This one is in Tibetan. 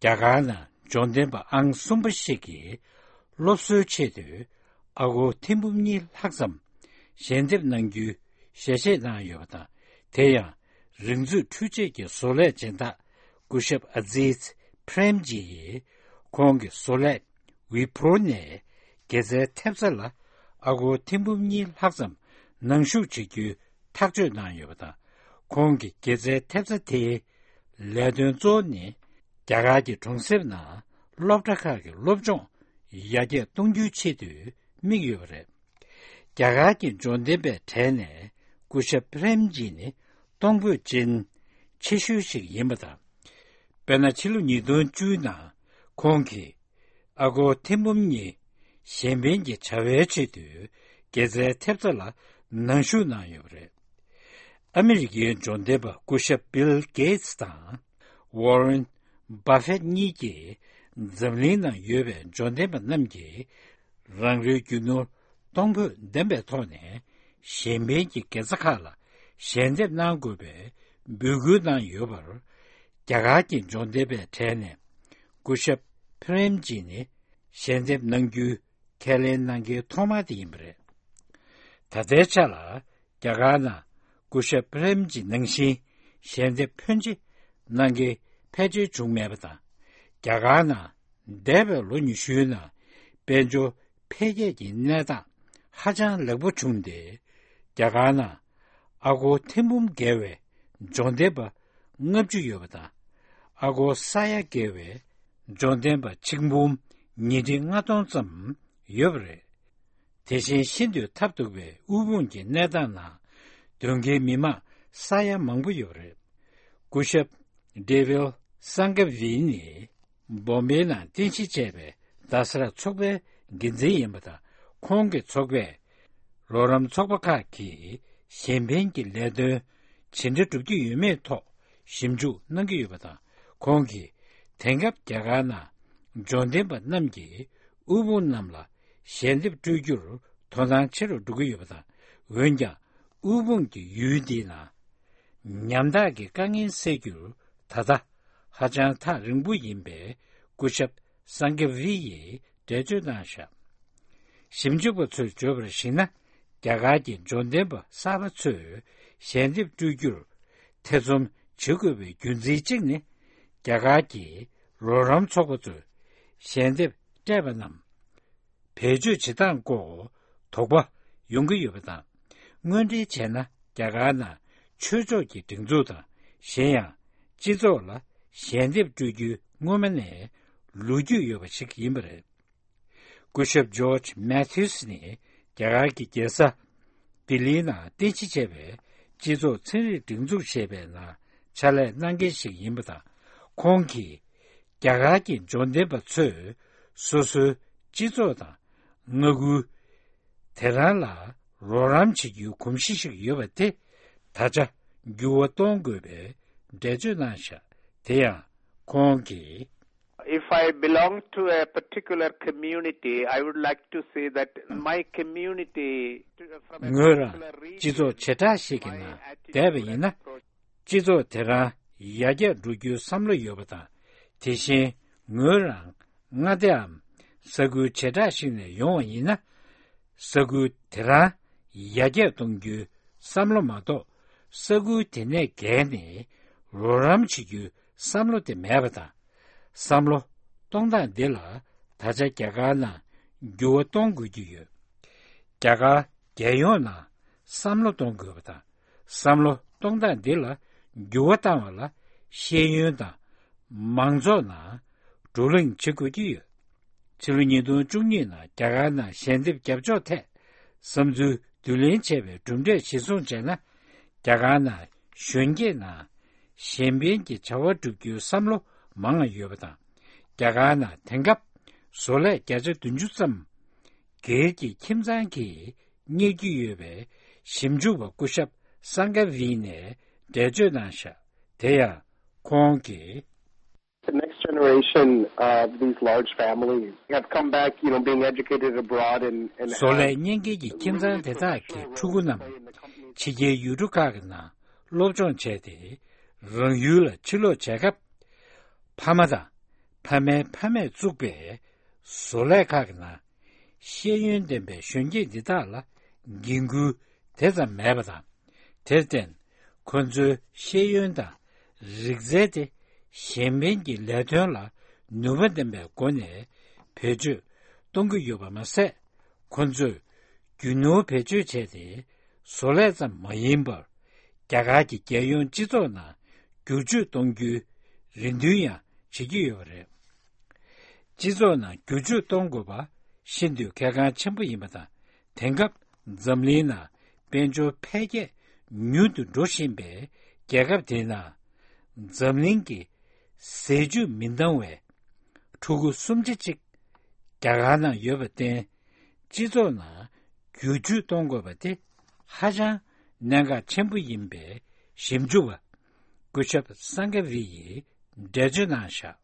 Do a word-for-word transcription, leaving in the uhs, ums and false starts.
རྒྱ་གར་ནང་འབྱོར་ལྡན་པ་ཨང་གསུམ་པ་ཞིག་གིས་སློབ་གསོའི་ཆེད་དུ་ཨ་སྒོར་ཐེར་འབུམ་གཉིས་ལྷག་ཙམ་ཞལ་འདེབས་གནང་རྒྱུའི་ཞལ་བཞེས་གནང་ཡོད་པ་དང་། དེ་ཡང་རིག་མཛོད་འཕྲུལ་ཆས་ཀྱི་བཟོ་ལས་སྦྱིན་བདག་སྐུ་ཞབས་ཨ་ཛིཛ་པྲེམ་ཇི་ཡིས་ཁོང་གི་བཟོ་ལས་ཝི་པྲོ་ནས་དགེ་རྩའི་ཐེབས་རྩ་ལ་ཨ་སྒོར་ཐེར་འབུམ་གཉིས་ལྷག་ཙམ་ནང་ཞུགས་བྱེད་རྒྱུའི་ཐག་གཅོད་གནང་ཡོད་པ་དང་། ཁོང་གི་དགེ་རྩའི་ཐེབས་རྩ་དེའི་ལས་དོན་གཙོ་བོ་ནི་རྒྱ་གར་གྱི་གྲོང་གསེབ་ནང་སློབ་གྲྭ་ཁག་གི་སློབ་སྦྱོང་ཡར་རྒྱས་གཏོང་རྒྱུའི་ཆེད་དུ་དམིགས་ཡོད་པ་རེད། རྒྱ་གར་གྱི་འབྱོར་ལྡན་པའི་གྲས་ནས་སྐུ་ཞབས་པྲེམ་ཇི་ནི་གཏོང་ཕོད་ཅན་ཆེ་ཤོས་ཤིག་ཡིན་པ་དང་། དཔེར་ན། ཕྱི་ལོ་ཉིས་སྟོང་བཅུ་ནང་ཁོང་གིས་ཨ་སྒོར་ཐེར་འབུམ་གཉིས་གཞན་ཕན་གྱི་བྱ་བའི་ཆེད་དུ་དགེ་རྩའི་ཐེབས་རྩ་ལ་ནང་ཞུགས་གནང་ཡོད་པ་རེད། ཨ་མི་རི་ཀའི་འབྱོར་ལྡན་པ་སྐུ་ཞབས་བིལ་གེ་ཏི་སི་དང་ཝོ་རེན་བྷ་ཧྥེད་གཉིས་ཀྱིས་འཛམ་གླིང་ནང་ཡོད་པའི་འབྱོར་ལྡན་པ་རྣམས་ཀྱིས་རང་རེའི་རྒྱུ་ནོར་གཏོང་ཕོད་ལྡན་པའི་ཐོག་ནས་གཞན་ཕན་གྱི་དགེ་རྩ་ཁག་ལ་ཞལ་འདེབས་གནང་དགོས་པའི་འབོད་སྐུལ་གནང་ཡོད་པར། རྒྱ་གར་གྱི་འབྱོར་ལྡན་པའི་གྲས་ནས་སྐུ་ཞབས་པྲེམ་ཇི་ནི་ཞལ་འདེབས་གནང་རྒྱུའི་ཁས་ལེན་གནང་མཁན་ཐོག་མ་དེ་ཡིན་པ་རེད། ད་ལྟའི་ཆ་ལ་རྒྱ་གར་ནང་སྐུ་ཞབས་པྲེམ་ཇི་ནང་བཞིན་ཞལ་འདེབས་ཕོན་ཆེ་གནང་མཁན་ཕལ་ཆེར་བྱུང་མེད་པ་དང་། རྒྱ་གར་ནང་འདས་པའི་ལོ་ཉི་ཤུའི་ནང་དཔལ་འབྱོར་འཕེལ་རྒྱས་ཀྱི་གནས་སྟངས་ཧ་ཅང་ལེགས་པོ་བྱུང་སྟེ། རྒྱ་གར་ནང་ཨ་སྒོར་ཐེར་འབུམ་བརྒལ་བའི་འབྱོར་ལྡན་པ་ལྔ་བཅུ་ཡོད་པ་དང་། ཨ་སྒོར་ས་ཡ་བརྒལ་བའི་འབྱོར་ལྡན་པ་ཆིག་འབུམ་ཉིས་ཁྲི་ལྔ་སྟོང་ཙམ་ཡོད་པ་རེད། དེ་བཞིན་ཤིན་ཏུ་ཐབས་སྡུག་པའི་དབུལ་ཕོངས་ཀྱི་གནས་སྟངས་ནང་སྡོད་མཁན་མི་མང་ས་ཡ་མང་པོ་ཡོད་པ་རེད། སྐུ་ཞབས་ཌེ་ཝིལ་སང་ག་ཝི་ནི་སྦོམ་བེའི་ནང་རྟེན་གཞི་བྱས་པའི་རྡ་ས་ར་ཚོགས་པའི་འགན་འཛིན་ཡིན་པ་དང་། ཁོང་གི་ཚོགས་པས་རོགས་རམ་ཚོགས་པ་ཁག་གིས་གཞན་ཕན་གྱི་ལས་དོན་ཇི་འདྲ་སྒྲུབ་ཀྱི་ཡོད་མེད་ཐོག་ཞིབ་འཇུག་གནང་གི་ཡོད་པ་དང་། ཁོང་གིས་དེང་སྐབས་རྒྱ་གར་ནང་འབྱོར་ལྡན་པ་རྣམས་ཀྱིས་དབུལ་ཕོངས་རྣམས་ལ་ཞལ་འདེབས་སྤྲོད་རྒྱུར་དོ་སྣང་ཆེ་རུ་འགྲོ་གི་ཡོད་པ་དང་། འོན་ཀྱང་དབུལ་ཕོངས་ཀྱི་ཡུལ་འདི་ན་ཉམ་ཐག་གི་དཀའ་ངལ་སེལ་རྒྱུར་ད་ལྟ་ཧ་ཅང་ཐག་རིང་པོ་ཡིན་པའི་སྐུ་ཞབས་སང་གེ་ཝི་ཡིས་འགྲེལ་བརྗོད་གནང་བཞག་ཞིབ་འཇུག་པ་ཚོས་བརྗོད་པར་གཞིགས་ན། རྒྱ་གར་གྱི་འབྱོར་ལྡན་པ་གསར་པ་ཚོས་ཞལ་འདེབས་སྤྲོད་རྒྱུར་ཐེ་ཚོམ་བྱེད་དགོས་པའི་རྒྱུ་མཚན་གཅིག་ནི། རྒྱ་གར་གྱི་རོགས་རམ་ཚོགས་པ་ཚོས་ཞལ་འདེབས་སྤྲད་པ་རྣམས་བེད་སྤྱོད་བྱེད་སྟངས་སྐོར་དོགས་པ་ཡོང་གི་ཡོད་པ་དང་། དངོས་འབྲེལ་བྱས་ན། རྒྱ་གར་ནང་ཆོས་ཕྱོགས་ཀྱི་སྒྲིག་འཛུགས་དང་། གཞན་ཡང་སྤྱི་ཚོགས་ལ་ཞལ་འདེབས་སྤྲོད་རྒྱུའི་སྔོན་མ་ནས་ལོ་རྒྱུས་ཡོད་པ་ཞིག་ཡིན་པ་རེད། སྐུ་ཞབས་ཇོརྗ་མེ་ཐིའུ་སི་ནི་རྒྱ་གར་གྱི་རྒྱལ་ས་ལྡི་ལིའི་ནང་རྟེན་གཞི་བྱས་པའི་སྤྱི་ཚོགས་ཚན་རིག་སྒྲིག་འཛུགས་ཞེས་པའི་ནང་ཕྱག་ལས་གནང་མཁན་ཞིག་ཡིན་པ་དང་། ཁོང་གིས་རྒྱ་གར་གྱི་འབྱོར་ལྡན་པ་ཚོས་སོ་སོའི་སྤྱི་ཚོགས་དང་མངའ་ཁུལ་དེ་རང་ལ་རོགས་རམ་བྱེད་རྒྱུའི་གོམས་གཤིས་ཤིག་ཡོད་པ་དེ་ད་ཆ་འགྱུར་བ་གཏོང་དགོས་པའི་འགྲེལ་བརྗོད་གནང་བཞག་དེ་ཡང་ཁོང་གིས། If I belong to a particular community, I would like to say that my community, from a ངོས་རང་particular སྤྱི་ཚོགས་བྱེ་བྲག་ཞིག་གི་ནང་བསྡད་པ་ཡིན་ན། སྤྱི་ཚོགས་དེ་རང་ཡར་རྒྱས་འགྲོ་རྒྱུའི་བསམ་བློ་ཡོད་པ་དང་། དེ་བཞིན་ངོས་རང་མངའ་སྡེའམ་ས་ཁུལ་བྱེ་བྲག་ཞིག་ནས་ཡོང་བ་ཡིན་ན། ས་ཁུལ་དེ་རང་ཡར་རྒྱས་གཏོང་རྒྱུའི་བསམ་བློ་མ་གཏོགས། ས་ཁུལ་དེ་ནས་བརྒལ་ནས་རོགས་རམ་བྱེད་རྒྱུའི་བསམ་བློ་དེ་མེད་པ་དང་། བསམ་བློ་གཏོང་སྟངས་འདི་ལ་ད་ཆ་རྒྱ་གར་ནང་འགྱུར་བ་གཏོང་དགོས་ཀྱི་ཡོད། རྒྱ་གར་རྒྱལ་ཡོངས་ནང་བསམ་བློ་གཏོང་དགོས་པ་དང་། བསམ་བློ་གཏོང་སྟངས་འདི་ལ་འགྱུར་བ་བཏང་བ་ལ་ཤེས་ཡོན་དང་མང་ཚོགས་ནང་བགྲོ་གླེང་བྱེད་དགོས་ཀྱི་ཡོད། ཕྱི་ལོ་ཉིས་སྟོང་བཅུ་གཉིས་ནང་རྒྱ་གར་ནང་ཞལ་འདེབས་རྒྱབ་ཕྱོགས་ཐད་བསམ་ཚུལ་བསྡུ་ལེན་བྱས་པའི་གྲུབ་འབྲས་གཞིར་བཟུང་བྱས་ན། རྒྱ་གར་ནང་གཞོན་སྐྱེས་ནང་གཞན་ཕན་གྱི་བྱ་བ་བསྒྲུབ་རྒྱུའི་བསམ་བློ་མང་བ་ཡོད་པ་དང་། རྒྱ་གར་ནང་དེང་སྐབས་བཟོ་ལས་བརྒྱ་ཆ་བདུན་ཅུ་ཙམ་སྒེར་གྱི་ཁྱིམ་ཚང་གིས་གཉེར་གྱི་ཡོད་པའི་ཞིབ་འཇུག་པ་སྐུ་ཞབས་སང་ག་ཝི་ནས་འགྲེལ་བརྗོད་གནང་བཞག་དེ་ཡང་ཁོང་གིས། The next generation of these large families have come back, you know, being educated abroad and, and བཟོ་ལས་གཉེར་མཁན་གྱི་ཁྱིམ་ཚང་དེ་དག་གི་ཕྲུ་གུ་རྣམས་ཕྱི་རྒྱལ་ཡུལ་གྲུ་ཁག་གི་ནང་སློབ་སྦྱོང་བྱས་ཏེ། རང་ཡུལ་ལ་ཕྱིར་ལོག་བྱས་སྐབས། ཕ་མ་དང་ མཐའ་མའི་ཕ་མས་བཙུགས་པའི་བཟོ་ལས་ཁག་གི་ནང་ཤེས་ཡོན་ལྡན་པའི་གཞོན་སྐྱེས་འདི་དག་ལ་འགན་ཁུར་དེ་ཙམ་མེད་པ་དང་། དེར་བརྟེན་ཁོ་ཚོའི་ཤེས་ཡོན་དང་རིག་རྩལ་དེ་གཞན་ཕན་གྱི་ལས་དོན་ལ་ནུས་པ་ལྡན་པའི་སྒོ་ནས་བེད་སྤྱོད་གཏོང་གི་ཡོད་པ་མ་ཟད། ཁོ་ཚོས་རྒྱུ་ནོར་བེད་སྤྱོད་བྱས་ཏེ་བཟོ་ལས་ཙམ་མ་ཡིན་པར། རྒྱ་གར་གྱི་རྒྱལ་ཡོངས་སྤྱི་ཚོགས་ནང་བསྒྱུར་བཅོས་གཏོང་རྒྱུའི་རེ་འདུན་ཡང་བྱེད་ཀྱི་ཡོད་པ་རེད། སྤྱི་ཚོགས་ནང་བསྒྱུར་བཅོས་གཏོང་དགོས་པ་ཤིན་ཏུ་གལ་འགངས་ཆེན་པོ་ཡིན་པ་དང་། དེང་སྐབས་འཛམ་གླིང་ནང་དཔལ་འབྱོར་འཕེལ་རྒྱས་མྱུར་དུ་འགྲོ་བཞིན་པའི་རྒྱལ་ཁབ་དེའི་ནང་འཛམ་གླིང་གི་ཟས་བཅུད་མི་འདང་བའི་ཕྲུ་གུ་སུམ་ཆ་གཅིག་རྒྱ་གར་ནང་ཡོད་པར་བརྟེན། སྤྱི་ཚོགས་ནང་བསྒྱུར་བཅོས་གཏོང་དགོས་པ་དེ་ཧ་ཅང་གནད་འགག་ཆེན་པོ་ཡིན་པའི་ཞིབ་འཇུག་པ་སྐུ་ཞབས་སང་ག་བི་ཡིས་འགྲེལ་བརྗོད་གནང་བཞག